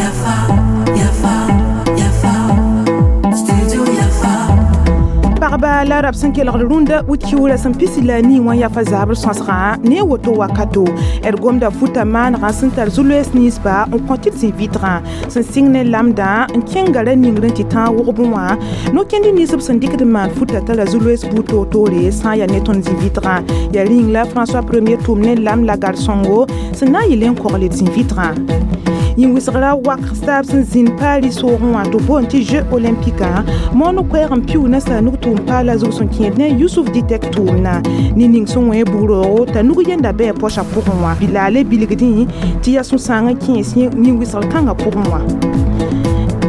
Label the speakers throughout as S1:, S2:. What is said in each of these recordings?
S1: Yafa, Yafa, Yafa, Studio Yafa.
S2: Pagba la rab sẽn kelgd rũndã wit-kiuurã sẽn pisi la a nii wã yafa zabr sõsgã ne woto wakato d gomda futa maanegã sẽn tar zu-loees ninsba n kõ tɩ d zĩ-vɩtgã sẽn sɩng ne lamdã n kẽnga ra ningr n tɩ tãag wʋgb wã no-kẽnd nins b sẽn dɩkd n maan futa tara zu-loees buud toor-toore sã n yaa ne tõnd zĩ-vɩtgã yaa rĩng la François Premier tʋʋm ne lam la gar-sõngo sẽn na n yɩl n kogl d zĩ-vɩtgã. Yĩn-wɩsgrã wak taab sẽn zĩnd Paris soogẽ wã tɩ b boond tɩ Jeux olympique moon koɛɛg n piʋʋ nasaar nug tʋʋm paala zug sẽn kẽed ne Yusuf Dɩtɛk tʋʋmna ne ning sẽn wẽ bugroogo t'a nug yenda bɩ a pɔsã pʋgẽ wã bɩ la a le bilgdẽ tɩ yaa sũ-sãang n kẽes yĩn-wɩsgr kãngã pʋgẽ wã.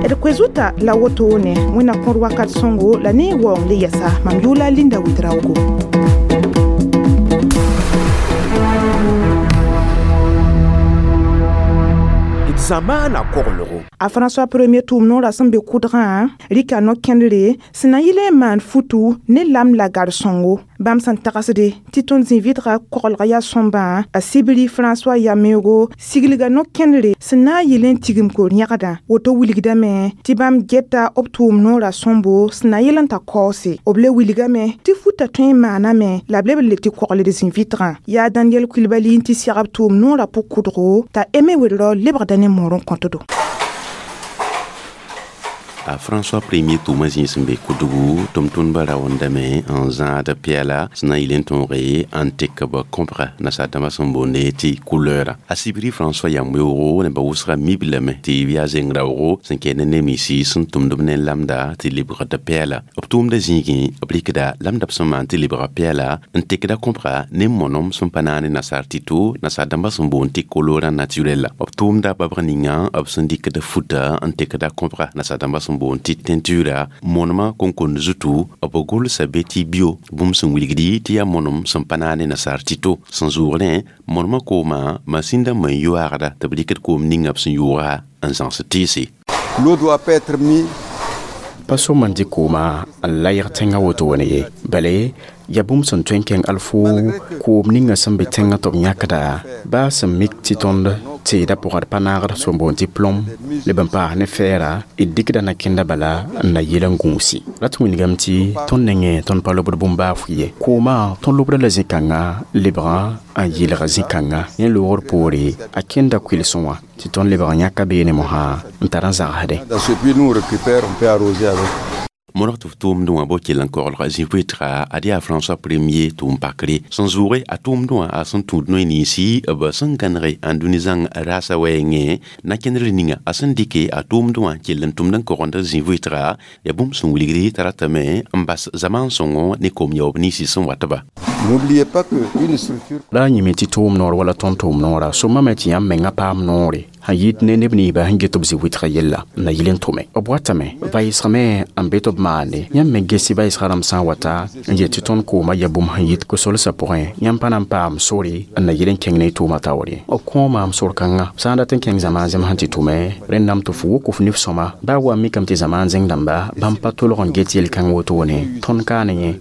S2: D koe-zuta la wotone wẽnna kõr wakat sõngo la ne waoong le yɛsa mam yʋʋla Linda Wɩdraogo.
S3: Zamaana koglgo.
S2: A François Premier tʋʋm noorã sẽn be kʋdgã rɩka no-kẽndre sẽn na n yɩl n maan futu ne lam la gar-sõngo bãmb sẽn tagsde tɩ tõnd zĩ-vɩtgã koglga yaa sõmbã a Sibiri François Yameogo siglga no-kẽndre sẽn na n yɩl n tigim kor-yẽgdã woto wilgdame tɩ bãmb geta b tʋʋm noorã sõmbo sẽn na yɩl n ta kaoose b le wilgame tɩ futa tõe n maaname la b leb n le tɩ kogld zĩ-vɩtgã yaa Daniel Coulibaly n tɩ segb tʋʋm noorã pʋg-kʋdgo t'a Aimé Ouedrao lebgda ne moor n kõtdo.
S4: A François Premier tʋʋmã zĩis n be kʋdgu tʋm-tʋmdbã raoondame n zãad pɛɛla sẽn na n yɩl n tõoge n tek b kõbga nasaar-dãmbã sẽn boonde tɩ couleur. A Sibiri François yam weoogo nebã wʋsga mib lame tɩ b yaa zeng raoogo sẽn kɛɛ ne neb-ninsi sẽn tʋmd b ne lamda tɩ lebgd pɛɛla. B tʋʋmdã zĩigẽ b rɩkda lamda b sẽn maan tɩ lebga pɛɛla n tekda kõbga ne monom sẽn pa naane nasaar tɩto nasaar-dãmbã sẽn boond tɩ colorant naturel. B tʋʋmda babg ninga b sẽn dɩkd futa n tekda kõbga nasaar-dãmbã sẽn boond tɩ teinture monoma konkond zutu b gʋlsa be tɩ bio bũmb sẽn wilgdi tɩ yaa monom sẽn pa naane nasaar tɩto sẽn zʋʋgrẽ monoma kooma masĩndã n yoaagda tɩ b rɩkd koom ninga b sẽn yʋʋga n zãgs tɩɩse.
S5: L'eau doit pas être mise
S6: pa sõm n dɩ kooma n layg tẽngã wotone ye bala yaa bũmb sẽn tõe n kẽng alfo koom ninga sẽn be tẽngã tɩ b yãkda baa sẽn mik tɩ tõnd teedã pʋgã d pa naagd sẽn boond tɩ plomb leb n paas ne fɛɛra d dɩkda na-kẽnda bala n na yɩl n gũusi rat wilgame tɩ tõnd nengẽ tõnd pa lobd bũmb-baafʋ ye koomã tõnd lobda la zĩ-kãngã lebgã n yɩlga zĩ-kãngã yẽ loogr poore a kẽnda kʋɩlsẽ wã tɩ tõnd lebg n yãka beene mosã n tar n zagsdẽ.
S5: Dans ce puits, nous on récupère, on peut arroser avec.
S4: Modg tɩ f tʋʋmdẽ wã bo kell n koglga zĩ-vɩtga ad yaa François Premier tʋʋm pakre sẽn zʋʋge a tʋʋmdẽ wã a sẽn tũud noy ninsi b sẽn gãnege n dũni zãng raasã wɛɛngẽ na-kẽndr ninga a sẽn dɩke a tʋʋmdẽ wã kell n tʋmd n kogend zĩ-vɩtga yaa bũmb sẽn wilgdi t'a ratame n bas zamaan sõngo ne kom yaoob ninsi sẽn watba.
S5: N'oubliez pas que une structure
S6: La a yĩme tɩ tʋʋm noor wala tõnd tʋʋm noora sõmame tɩ yãmb menga paam noore sẽn yit ne neb ninsbã sẽn get b zĩ-wɩtgã yella n na yɩl n tʋme b watame vayesgame n be tɩ b maande yãmb me gesi vayesgã rãmb sã n wata n yet tɩ tõnd koomã yaa bũmb sẽn yit ko-solsã pʋgẽ yãmb pa na n paam sore n na yɩl n kẽng ne y tʋʋmã taoore b kõo maam sor-kãngã sã n dat n kẽng zamaan zẽm sẽn tɩ tʋme rẽndame tɩ f wʋk f nif-sõma baa wa mikame tɩ zamaan zẽng dãmba bãmb pa tolg n get yel-kãng wotone tõnd kaane yẽ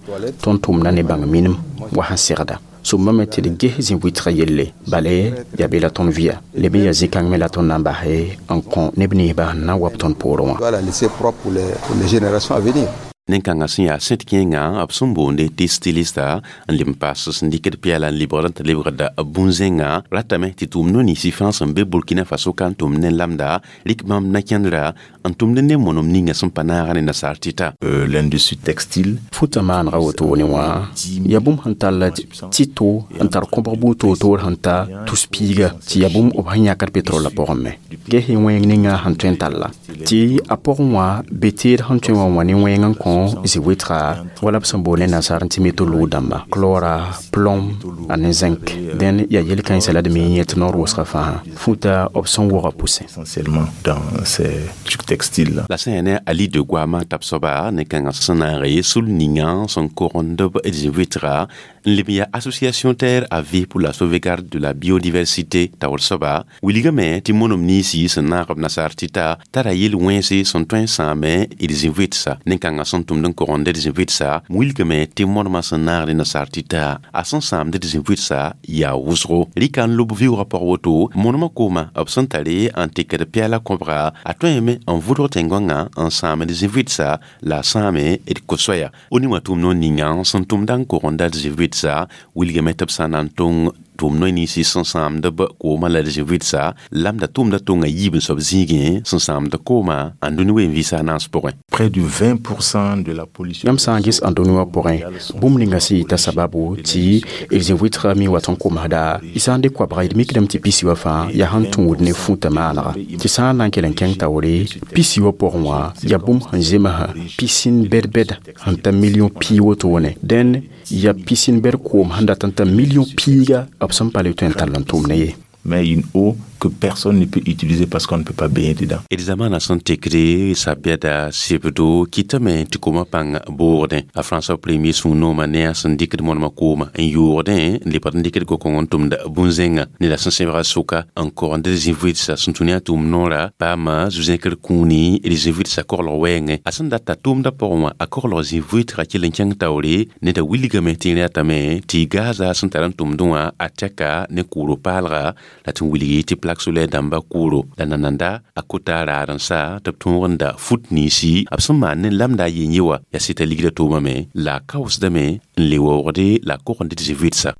S6: tõnd tʋmda ne bãng minim wa sẽn segda sõmbame tɩ d ges zĩ-wɩtgã yelle bala yaa be la tõnd vɩa leb n yaa zĩ-kãng me la tõnd na n base n kõ neb ninsbã sẽn na n wa b tõnd poorẽ wã.
S5: Doit la laisser propre pour les générations à venir.
S4: Nen-kãngã sẽn yaa sẽd kẽengã b sẽn boonde tɩ stylista n leb n paas sẽn dɩkd pɛɛla n lebgd n tɩ lebgda bũn-zẽngã ratame tɩ tʋʋm no-ninsi fãa sẽn be Burkina Faso ka n tʋmd ne lamda rɩk bãmb na-kẽndra n tʋmd ne monom ninga sẽn pa naaga ne nasaar tɩta.
S7: L'industrie textile.
S6: Futã maanegã wotone wã yaa bũmb sẽn tall tɩto n tar kõbg buud toor-toor sẽn ta tus-piiga tɩ yaa bũmb b sẽn yãkd petrolã pʋgẽ me ges y wẽng ninga sẽn tõe n talla tɩ a pʋgẽ wã be teed sẽn tõe wã wã ne wẽng n kõ zĩ-wɩtga wala b sẽn boond ne nasaar tɩ métaux dãmba chlora plomb ane zinc dẽn yaa yel-kãensã la d me yẽ tɩ noor wʋsga fãa futa b sẽn wʋga pʋsẽ.
S7: Essentiellement dans ces trucs textiles.
S4: La sẽn yaa ne Ali de goamã tab soaba ne kãngã sẽn naage sul ninga sẽn kogend b zĩ-vɩtga n leb n yaa Association Terre à Vie pour la sauvegarde de la biodiversité taoor soaba wilgame tɩ monom ninsi sẽn naag b nasaar tɩta tara yel-wẽnse sẽn tõe n sãame d zĩ-vɩtsa nen-kãngã sẽn sẽn tʋmd n kogend d zĩ-vɩdsa wilgame tɩ modmã sẽn naagd nasaar tɩta a sẽn sãamd d zĩ-vɩdsa yaa wʋsgo rɩka n lob vɩʋʋgã pʋg woto monemã kooma b sẽn tare n tekd pɛɛla kõbga a tõeme n vʋdg tẽn-gõngã n sãamd zĩ-vɩdsa la a sãame d ko-soaya o ning wã tʋʋm noor ninga sẽn tʋmda n kogenda d zĩ-vɩdsa wilgame tɩ b sã na n tõng tʋʋm noy ninsi sẽn sãamd b koomã la d zĩ-vɩdsa lamda tʋʋmda tonga yiib n soab zĩigẽ sẽn sãamd kooma n dũni wen-vɩɩsã a naans pʋgẽ.
S7: Près de 20% de la pollution.
S6: Yãmb sã n ges ãndũni wã pʋgẽ, bũmb ninga sẽn yɩta sababu tɩ d zĩ-vɩtgã mi wat n komsda y sã n dɩk koabga d mikdame tɩ pisi wã fãa yaa sẽn tũud ne fũta maanega tɩ sã n na n kell n kẽng taoore pisi wã pʋgẽ wã yaa bũmb sẽn zems pisin bɛd-bɛd sẽn ta million pii wotone dẽn yaa pisin bɛd koom sẽn dat n ta million piiga b sẽn pa le tõe n tall n tʋm ne ye.
S7: Mais une eau que personne ne peut utiliser parce qu'on ne peut pas baigner dedans.
S4: D zamaana sẽn tekde sabiada sebdo kɩtame tɩ koomã pãng boogdẽ a François Premier sũ-noomã ne a sẽn dɩkd monemã kooma n yoogdẽ n lebgd n dɩkd gokõng n tʋmd bũn-zẽngã ne la sẽn sebga sʋka n kogend d zĩ-vɩdsa sẽn tũ ne a tʋʋm noora paama zu-zẽkr kũuni d zĩ-vɩdsa koglg wɛɛngẽ a sẽn data tʋʋmdã pʋgẽ wã a koglg zĩ-vɩtga kell n kẽng taoore neda wilgame tɩ rẽatame tɩ gaza sẽn tar n tʋmdẽ wã a tɛka ne kʋʋro paalga la tɩ n wilgi tɩ plaque solaire dãmba kʋʋro la nananda a kota raad n sa tɩ b tõogenda fut ninsi b sẽn maan ne lamda a yen ye wã yaa sɩta ligda toomame la a kaoosdame n le waoogde la a kogend d zĩ-vɩdsa.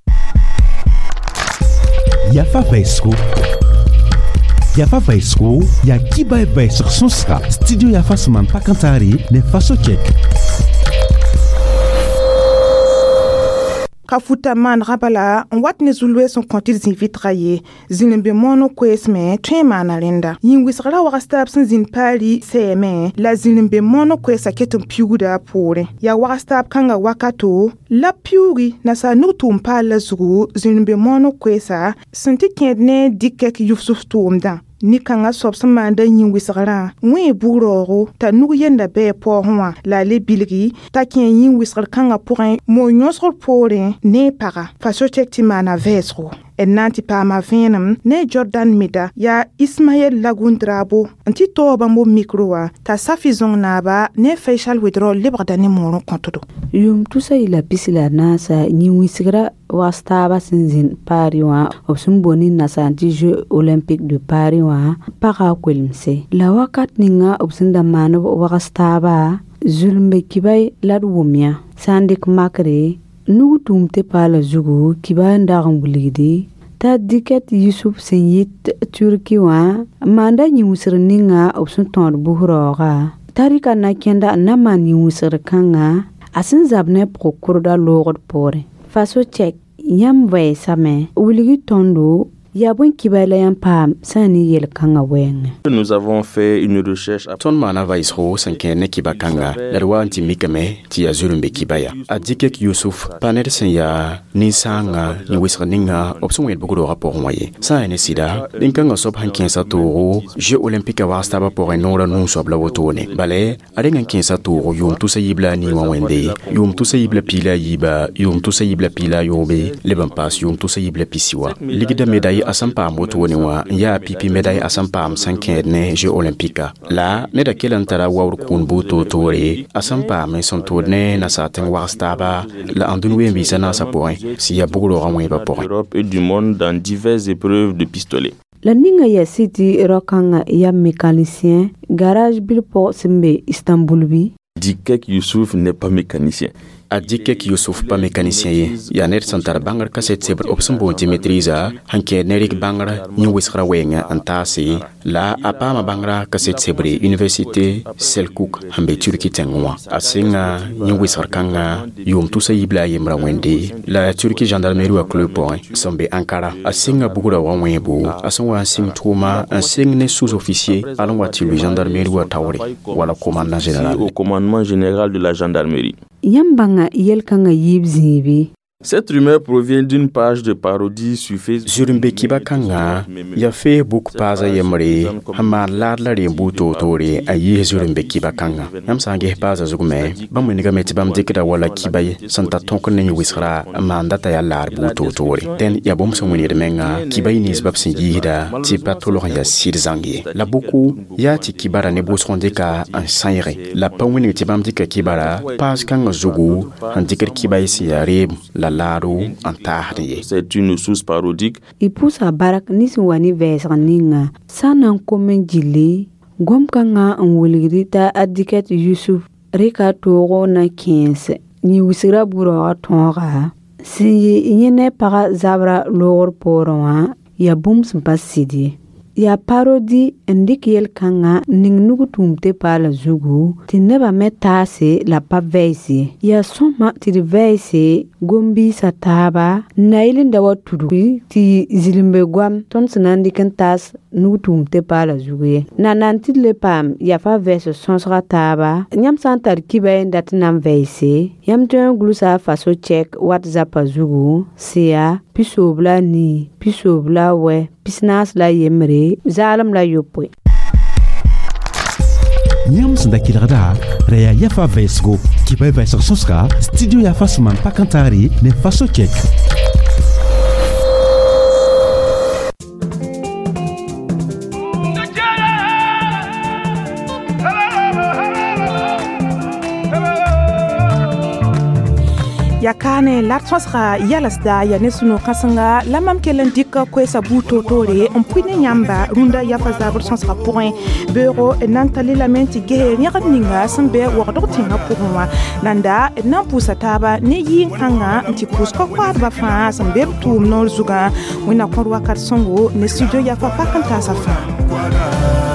S8: Yafa vaisgo. Yafa vaisgo ya kiba vaisg sõsga studio Yafa sẽn maan pak n taare ne faso kɛk.
S2: Ka futa maanegã bala n wat ne zu-loees n kõ tɩ d zĩ-vɩtga ye zĩr-n-be moon koeesme tõe n maana rẽnda yĩn-wɩsgrã wags taab sẽn zĩnd Paari sɛɛme la zĩr-n-be moon koeesã ket n piuugda a poorẽ yaa wags taab kãngã wakato la piuugi nasaar nug tʋʋm paal la zugu zĩr-n-be moon koeesa sẽn tɩ kẽed ne dɩkɛk yʋfsf tʋʋmdã nin-kãngã soab sẽn maanda yĩn-wɩsgrã wẽ bug-raoogo t'a nug yenda bɛɛ paoosẽ wã la a le bilgi t'a kẽ yĩn-wɩsgr kãngã pʋgẽ moon yõsgr poorẽ ne a paga faso tek tɩ maana vɛɛsgo d na n tɩ paama vẽenem ne Jordan Meda yaa Ismaɛl Lagundrabo n tɩ taoog bãmb b mikro wã t'a Safi zõng naaba ne Faisal Wedrɔ lebgda ne moor n kõtdo.
S9: Yʋʋm tusa yɩla pis la naasa yĩn-wɩsgrã wags taabã sẽn zĩnd Paris wã b sẽn boond nasaar tɩ Jeux olympiques de Paris wã paga a koelemse la wakat ninga b sẽn da maan b wags taaba zulmbe kibay la d wʋm yã sã n dɩk makre nug tʋʋm tɩ paala zugu kiba n dag n wilgdi t'a dɩkɛt Yusuf sẽn yit Turki wã n maanda yĩn-wɩsgr ninga b sẽn tõod bus-raooga t'a rɩka na kẽnda n na maan yĩn-wɩsgr kãnga a sẽn zab ne pʋg-kʋrda loogd poorẽ faso tɛk yãmb vɛɛsame wilgi tõndo yaa bõe kibay la yãmb paam sã n ne yel-kãngã wɛɛngẽ.
S7: Nous avons fait une recherche.
S6: Tõnd maana vaɩsgo sẽn kẽer ne kiba kãnga la d wa n tɩ mikame tɩ yaa zulm be kiba ya a dɩkɛk Yusuf pa ned sẽn yaa nin-sãanga yĩn-wɩsg ninga b sẽn wẽed bug-roogã pʋgẽ wã ye sã n yaa ne sɩda nin-kãngã soab sẽn kẽesa toogo Jeux olympiques wags taabã pʋgẽ noorã nuu soab la wotone bala a reng n kẽesa toogo yʋʋm tusa yiib la a nii wã wẽnde yʋʋm tusa yiib la piig la a yiiba yʋʋm tusa yiib la piig la a yoobe leb n paas yʋʋm tusa yiib la pisi wa ligda médaille a sẽn paam wotone wã n yaa pipi médaille a sẽn paam sẽn kẽed ne Jeux olympiques la neda kell n tara waood kũun buud toor-toore a sẽn paam n sẽn tood ne nasaar tẽng wags taaba la ãndũn ween-biisã naasã pʋgẽ sẽn yaa bug-roogã wẽebã pʋgẽ.
S7: D'Europe et du monde dans diverses épreuves de pistolet.
S9: La ninga yaa sɩ tɩ rao-kãngã yaa mécanicien garage bil pʋg sẽn be Istanbul bɩ.
S7: Dikek Youssouf n'est pas mécanicien.
S6: A dɩkɛk Yusuf pa mécanicien ye yaa ned sẽn tar bãngr kaset sebr b sẽn boond tɩ maîtrise sẽn kẽed ne rɩk bãngr yĩn-wɩsgrã wɛɛngã n taase la a paama bãngrã kaset sebre université Selkuk sẽn be Turki tẽngẽ wã a sɩnga yĩn-wɩsgr kãngã yʋʋm tusa yiib la a yembra wẽnde la Turki gendarmerie wã club pʋgẽ sẽn be Ankara a sɩnga bugrã wã wẽebo a sẽn wa n sɩng tʋʋma n sɩng ne sous-officier al n wa tɩ lʋɩ gendarmerie wã taoore wala commandant général.
S7: Au commandement général de la gendarmerie.
S9: Yãmb bãnga yel-kãngã yiib zĩibe.
S7: Cette rumeur provient d'une page de parodie sur Facebook.
S6: Zũrim-be kiba kãngã yaa Facebook paasa yembre sẽn maan laad la reem buud toor-toore a yiis zũrim-be kiba kãngã. Yãmb sã n ges paasã zug me, bãmb wilgame tɩ bãmb dɩkda wala kiba ye sẽn tar tõk ne wɩsgra n maanda t'a yaa laad buud toor-toore. Dẽn yaa bũmb sẽn wilgd menga kiba y ninsba b sẽn yiisda tɩ pa tolg n yaa sɩd zãng ye. La bʋko yaa tɩ kibara ne bʋsg n dɩka n sãeege la b pa wilg tɩ bãmb dɩka kibara paas kãngã zugu n dɩkd kiba y sẽn yaa reem la laado n taasd ye.
S7: C'est une source parodique.
S9: Y pʋʋsa bark ne sẽn wa ne vɛɛsg ninga sã n na n kom n gilli gom-kãngã n wilgd t'a a dɩka tɩ Yusuf rɩka toogo na kẽes yĩn-wisgrã bu-raoogã tõoga sẽn yɩ yẽ ne pagã zabra loogr poorẽ wã yaa bũmb sẽn pa sɩd ye. Yaa parodi n dɩk yel-kãngã n ning nug tũum tɩ paala zugu tɩ nebã me taase la pa vɛɛs ye. Yaa sõma tɩ d vɛɛse gom-biisã taaba n na yɩl n da wa tudgi tɩ zĩlimbe goam tõnd sẽn na n dɩk n taas nug tũum tɩ paala zugu ye. Na nan tɩ d le paam yafa vɛɛs sõsga taaba yãmb sã n tar kiba n dat n na n vɛɛse yãmb tõe n gʋlsa a faso chɛk WhatsApp zugu sẽn yaa 94 98 41 0
S8: Yãmb sẽn da kelgda ra yaa yafa vɛɛsgo kɩba y vɛɛsg sõsga studio yafa sẽn maan pak n taare ne faso chɛk.
S2: Ya kaane la d sõsga yalsda yaa ne sũ-no-kãsenga la mam kell n dɩk koɛɛsã buud toor-toore n pʋɩ ne yãmba rũndã yafa zabr sõsgã pʋgẽ. Beoogo d na n ta le lame tɩ ges rẽgd ninga sẽn be wagdg tẽngã pʋgẽ wã. Nanda d na n pʋʋsa taaba ne yɩɩn-kãngã n tɩ pʋʋs ko-koaadbã fãa sẽn be b tʋʋm noor zugã. Wẽnna kõr wakat sõngo ne studio yafa pak n taasã fãa.